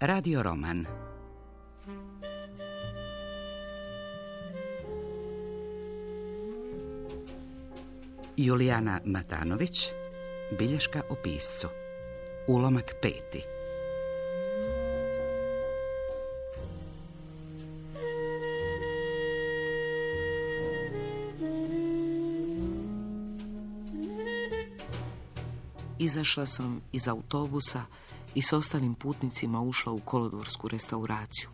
Radio roman. Julijana Matanović, bilješka o piscu. Ulomak 5. Izašla sam iz autobusa i s ostalim putnicima ušla u kolodvorsku restauraciju.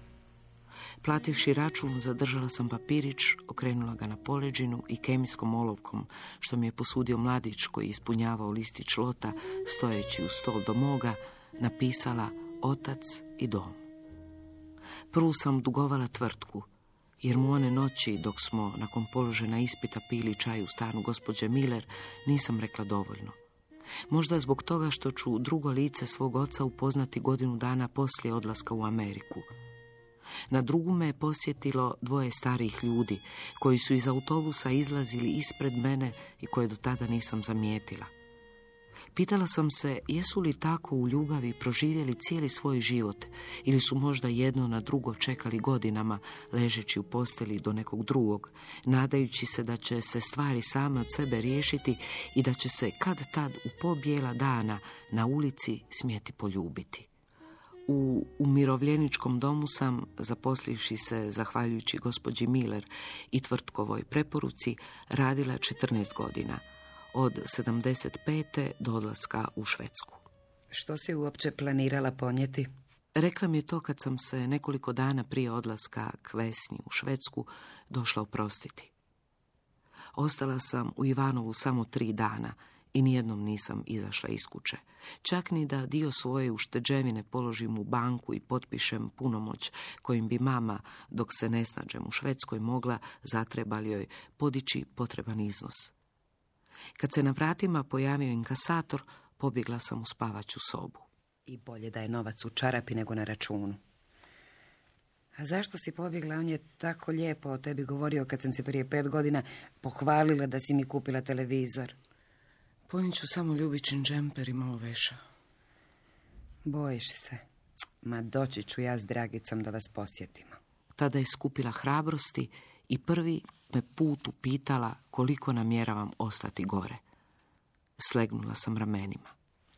Plativši račun, zadržala sam papirić, okrenula ga na poleđinu i kemijskom olovkom, što mi je posudio mladić koji ispunjavao listić lota, stojeći u stol do moga, napisala otac i dom. Prvu sam dugovala tvrtku, jer mu one noći, dok smo nakon položena ispita pili čaj u stanu gospođe Miller, nisam rekla dovoljno. Možda zbog toga što ću drugo lice svog oca upoznati godinu dana poslije odlaska u Ameriku. Na drugu me je posjetilo 2 starijih ljudi koji su iz autobusa izlazili ispred mene i koje do tada nisam zamijetila. Pitala sam se jesu li tako u ljubavi proživjeli cijeli svoj život ili su možda jedno na drugo čekali godinama ležeći u posteli do nekog drugog, nadajući se da će se stvari same od sebe riješiti i da će se kad tad u pobjela dana na ulici smjeti poljubiti. U umirovljeničkom domu sam, zaposlivši se zahvaljujući gospođi Miller i tvrtkovoj preporuci, radila 14 godina, od 75. do odlaska u Švedsku. Što si uopće planirala ponijeti? Rekla mi je to kad sam se nekoliko dana prije odlaska k Vesni u Švedsku došla oprostiti. Ostala sam u Ivanovu samo 3 dana i nijednom nisam izašla iz kuće. Čak ni da dio svoje ušteđevine položim u banku i potpišem punomoć kojim bi mama, dok se ne snađem u Švedskoj, mogla, zatreba li joj, podići potreban iznos. Kad se na vratima pojavio inkasator, pobjegla sam u spavaću sobu. I bolje da je novac u čarapi nego na računu. A zašto si pobjegla? On je tako lijepo o tebi govorio kad sam se prije 5 godina pohvalila da si mi kupila televizor. Ponijet ću samo ljubičin džemper i malo veša. Bojiš se. Ma doći ću ja s Dragicom da vas posjetimo. Tada je skupila hrabrosti i prvi me put upitala koliko namjeravam ostati gore. Slegnula sam ramenima.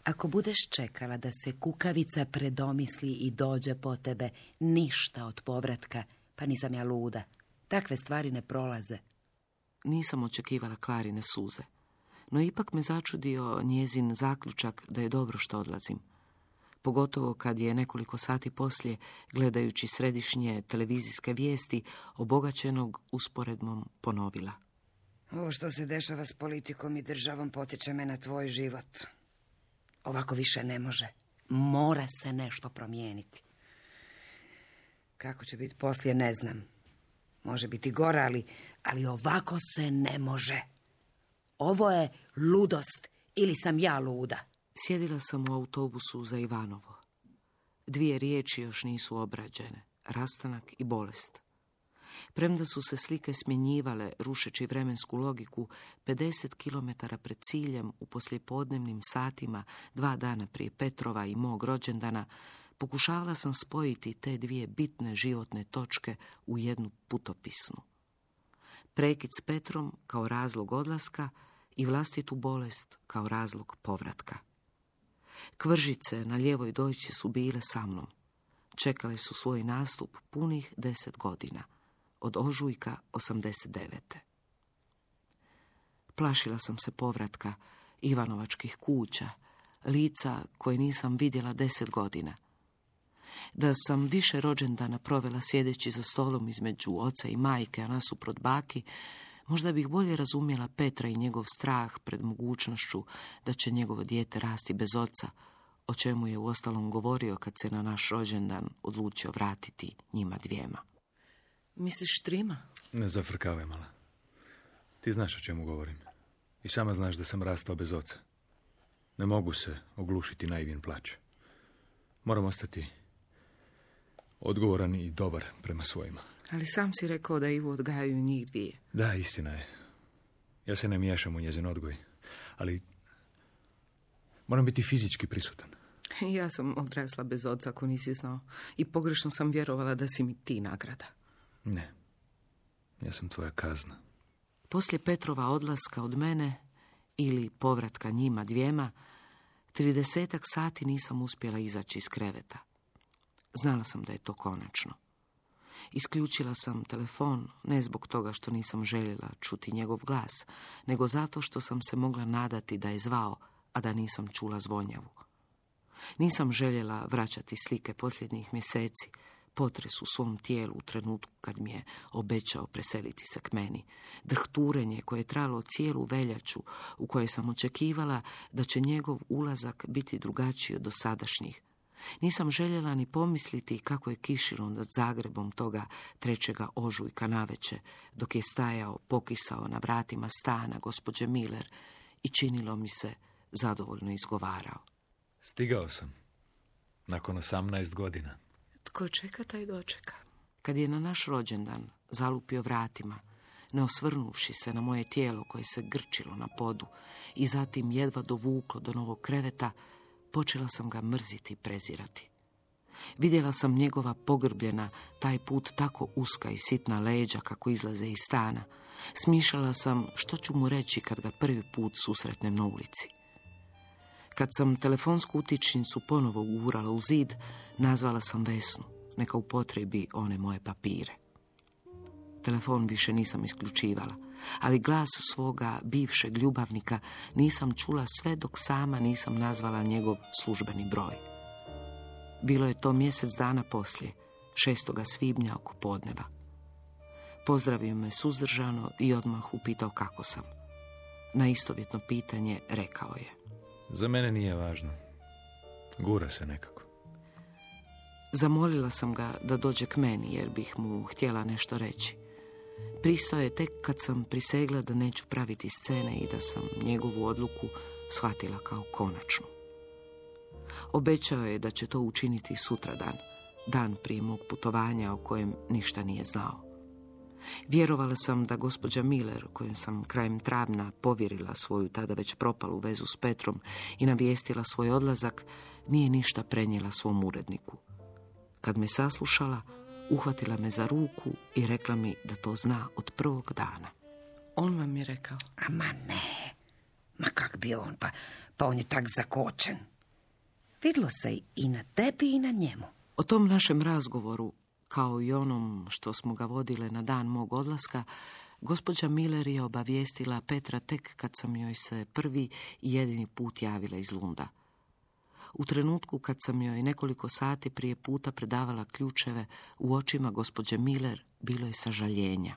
Ako budeš čekala da se kukavica predomisli i dođe po tebe, ništa od povratka, pa nisam ja luda. Takve stvari ne prolaze. Nisam očekivala Klarine suze, no ipak me začudio njezin zaključak da je dobro što odlazim. Pogotovo kad je nekoliko sati poslije, gledajući središnje televizijske vijesti, obogaćenog usporedbom ponovila. Ovo što se dešava s politikom i državom potiče me na tvoj život. Ovako više ne može. Mora se nešto promijeniti. Kako će biti poslije, ne znam. Može biti gore, ali ovako se ne može. Ovo je ludost ili sam ja luda. Sjedila sam u autobusu za Ivanovo. 2 riječi još nisu obrađene, rastanak i bolest. Premda su se slike smjenjivale, rušeći vremensku logiku, 50 kilometara pred ciljem u poslijepodnevnim satima, 2 dana prije Petrova i mog rođendana, pokušavala sam spojiti te 2 bitne životne točke u jednu putopisnu. Prekid s Petrom kao razlog odlaska i vlastitu bolest kao razlog povratka. Kvržice na lijevoj dojci su bile sa mnom. Čekale su svoj nastup punih 10 godina, od ožujka 89. Plašila sam se povratka, Ivanovačkih kuća, lica koje nisam vidjela 10 godina. Da sam više rođendana provela sjedeći za stolom između oca i majke, a nasuprot baki, možda bih bolje razumjela Petra i njegov strah pred mogućnošću da će njegovo dijete rasti bez oca, o čemu je uostalom govorio kad se na naš rođendan odlučio vratiti njima 2. Misliš Štrima? Ne zafrkavaj, mala. Ti znaš o čemu govorim. I sama znaš da sam rastao bez oca. Ne mogu se oglušiti na Ivin plać. Moram ostati odgovoran i dobar prema svojima. Ali sam si rekao da Ivu odgajaju njih 2. Da, istina je. Ja se ne miješam u njezin odgoj. Ali moram biti fizički prisutan. Ja sam odrasla bez oca, ako nisi znao. I pogrešno sam vjerovala da si mi ti nagrada. Ne, ja sam tvoja kazna. Poslije Petrova odlaska od mene, ili povratka njima dvijema, 30 sati nisam uspjela izaći iz kreveta. Znala sam da je to konačno. Isključila sam telefon, ne zbog toga što nisam željela čuti njegov glas, nego zato što sam se mogla nadati da je zvao, a da nisam čula zvonjavu. Nisam željela vraćati slike posljednjih mjeseci, potres u svom tijelu u trenutku kad mi je obećao preseliti se k meni, drhturenje koje je trajalo cijelu veljaču, u kojoj sam očekivala da će njegov ulazak biti drugačiji od dosadašnjih. Nisam željela ni pomisliti kako je kišilo nad Zagrebom toga 3. ožujka navečer, dok je stajao pokisao na vratima stana gospođe Miller i činilo mi se zadovoljno izgovarao. Stigao sam. Nakon 18 godina. Tko čeka, taj dočeka. Kad je na naš rođendan zalupio vratima, ne osvrnuvši se na moje tijelo koje se grčilo na podu i zatim jedva dovuklo do novog kreveta, počela sam ga mrziti i prezirati. Vidjela sam njegova pogrbljena, taj put tako uska i sitna leđa kako izlaze iz stana. Smišljala sam što ću mu reći kad ga prvi put susretnem na ulici. Kad sam telefonsku utičnicu ponovo ugurala u zid, nazvala sam Vesnu, neka upotrebi one moje papire. Telefon više nisam isključivala, ali glas svoga bivšeg ljubavnika nisam čula sve dok sama nisam nazvala njegov službeni broj. Bilo je to mjesec dana poslije, 6. svibnja oko podneva. Pozdravio me suzdržano i odmah upitao kako sam. Na istovjetno pitanje rekao je: Za mene nije važno. Gura se nekako. Zamolila sam ga da dođe k meni jer bih mu htjela nešto reći. Pristao je tek kad sam prisegla da neću praviti scene i da sam njegovu odluku shvatila kao konačnu. Obećao je da će to učiniti sutradan, dan prije mog putovanja o kojem ništa nije znao. Vjerovala sam da gospođa Miller, kojom sam krajem travnja povjerila svoju tada već propalu vezu s Petrom i navijestila svoj odlazak, nije ništa prenijela svom uredniku. Kad me saslušala, uhvatila me za ruku i rekla mi da to zna od prvog dana. On vam je rekao? Ma ne, ma kak bi on, pa on je tak zakočen. Vidlo se i na tebi i na njemu. O tom našem razgovoru, kao i onom što smo ga vodile na dan mog odlaska, gospođa Miller je obavijestila Petra tek kad sam joj se prvi i jedini put javila iz Lunda. U trenutku kad sam joj nekoliko sati prije puta predavala ključeve, u očima gospođe Miller bilo je sažaljenja.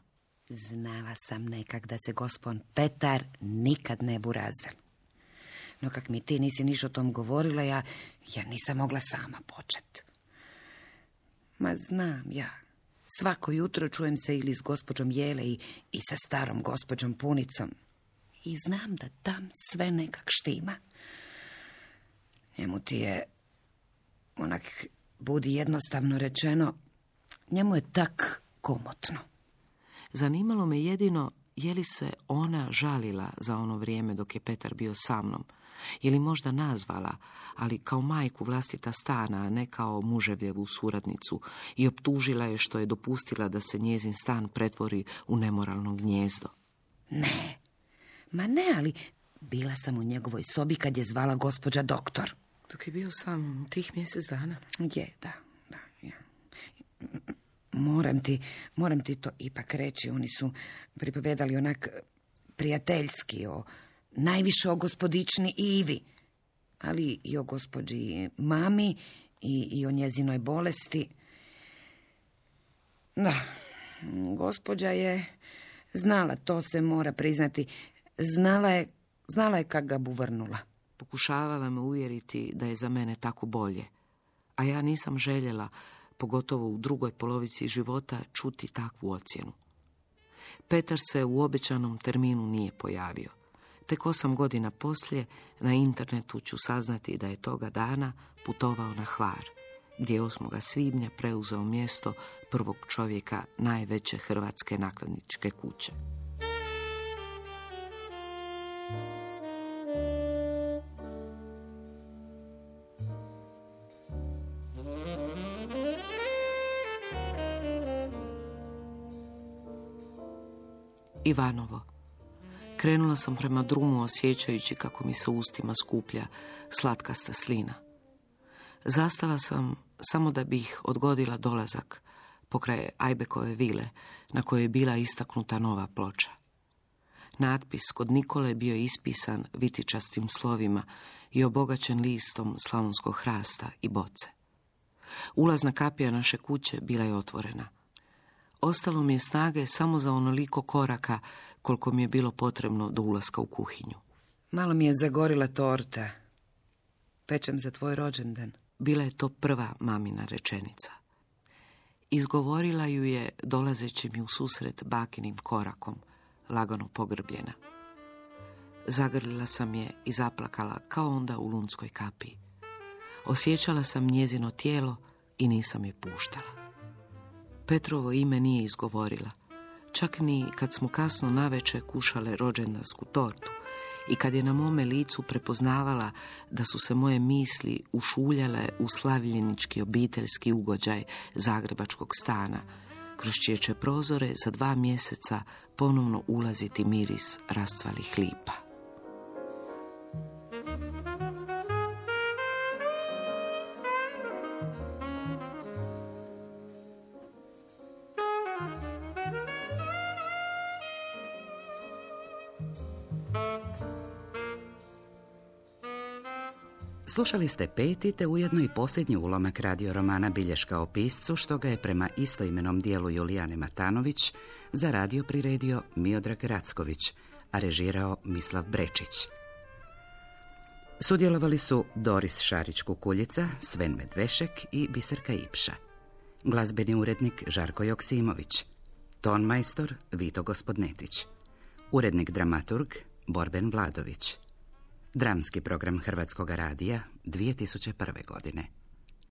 Znala sam nekak da se gospon Petar nikad ne bu razvel. No kak mi ti nisi niš o tom govorila, ja nisam mogla sama počet. Ma znam ja. Svako jutro čujem se ili s gospođom Jele i sa starom gospođom Punicom. I znam da tam sve nekak štima. Njemu ti je, onak budi jednostavno rečeno, njemu je tak komotno. Zanimalo me jedino je li se ona žalila za ono vrijeme dok je Petar bio sa mnom, ili možda nazvala, ali kao majku vlastita stana, a ne kao muževjevu suradnicu, i optužila je što je dopustila da se njezin stan pretvori u nemoralno gnijezdo. Ne, ma ne, ali bila sam u njegovoj sobi kad je zvala gospođa doktor. Dok je bio sam tih mjesec dana? Je, da, ja. Moram ti to ipak reći. Oni su pripovedali onak prijateljski, najviše o gospodični Ivi, ali i o gospođi mami i o njezinoj bolesti. Da, gospođa je znala, to se mora priznati, znala je kak ga bu vrnula. Pokušavala me uvjeriti da je za mene tako bolje, a ja nisam željela, pogotovo u drugoj polovici života, čuti takvu ocjenu. Petar se u obećanom terminu nije pojavio. Tek 8 godina poslije na internetu ću saznati da je toga dana putovao na Hvar, gdje je 8. svibnja preuzeo mjesto prvog čovjeka najveće hrvatske nakladničke kuće. Ivanovo. Krenula sam prema drumu osjećajući kako mi se u ustima skuplja slatkasta slina. Zastala sam samo da bih odgodila dolazak pokraj Ajbekove vile na kojoj je bila istaknuta nova ploča. Natpis kod Nikole bio ispisan vitičastim slovima i obogaćen listom slavonskog hrasta i boce. Ulazna kapija naše kuće bila je otvorena. Ostalo mi je snage samo za onoliko koraka koliko mi je bilo potrebno do ulaska u kuhinju. Malo mi je zagorila torta. Pečem za tvoj rođendan. Bila je to prva mamina rečenica. Izgovorila ju je dolazeći mi u susret bakinim korakom, lagano pogrbljena. Zagrlila sam je i zaplakala kao onda u lunskoj kapiji. Osjećala sam njezino tijelo i nisam je puštala. Petrovo ime nije izgovorila, čak ni kad smo kasno navečer kušale rođendansku tortu i kad je na mome licu prepoznavala da su se moje misli ušuljale u slavljenički obiteljski ugođaj zagrebačkog stana, kroz čije će prozore za 2 mjeseca ponovno ulaziti miris rascvalih lipa. Slušali ste 5. te ujedno i posljednji ulomak radio romana Bilješka o piscu, što ga je prema istoimenom dijelu Julijane Matanović za radio priredio Miodrag Racković, a režirao Mislav Brečić. Sudjelovali su Doris Šarić-Kukuljica, Sven Medvešek i Biserka Ipša. Glazbeni urednik Žarko Joksimović. Tonmajstor Vito Gospodnetić. Urednik dramaturg Borben Vladović. Dramski program Hrvatskog radija 2001. godine.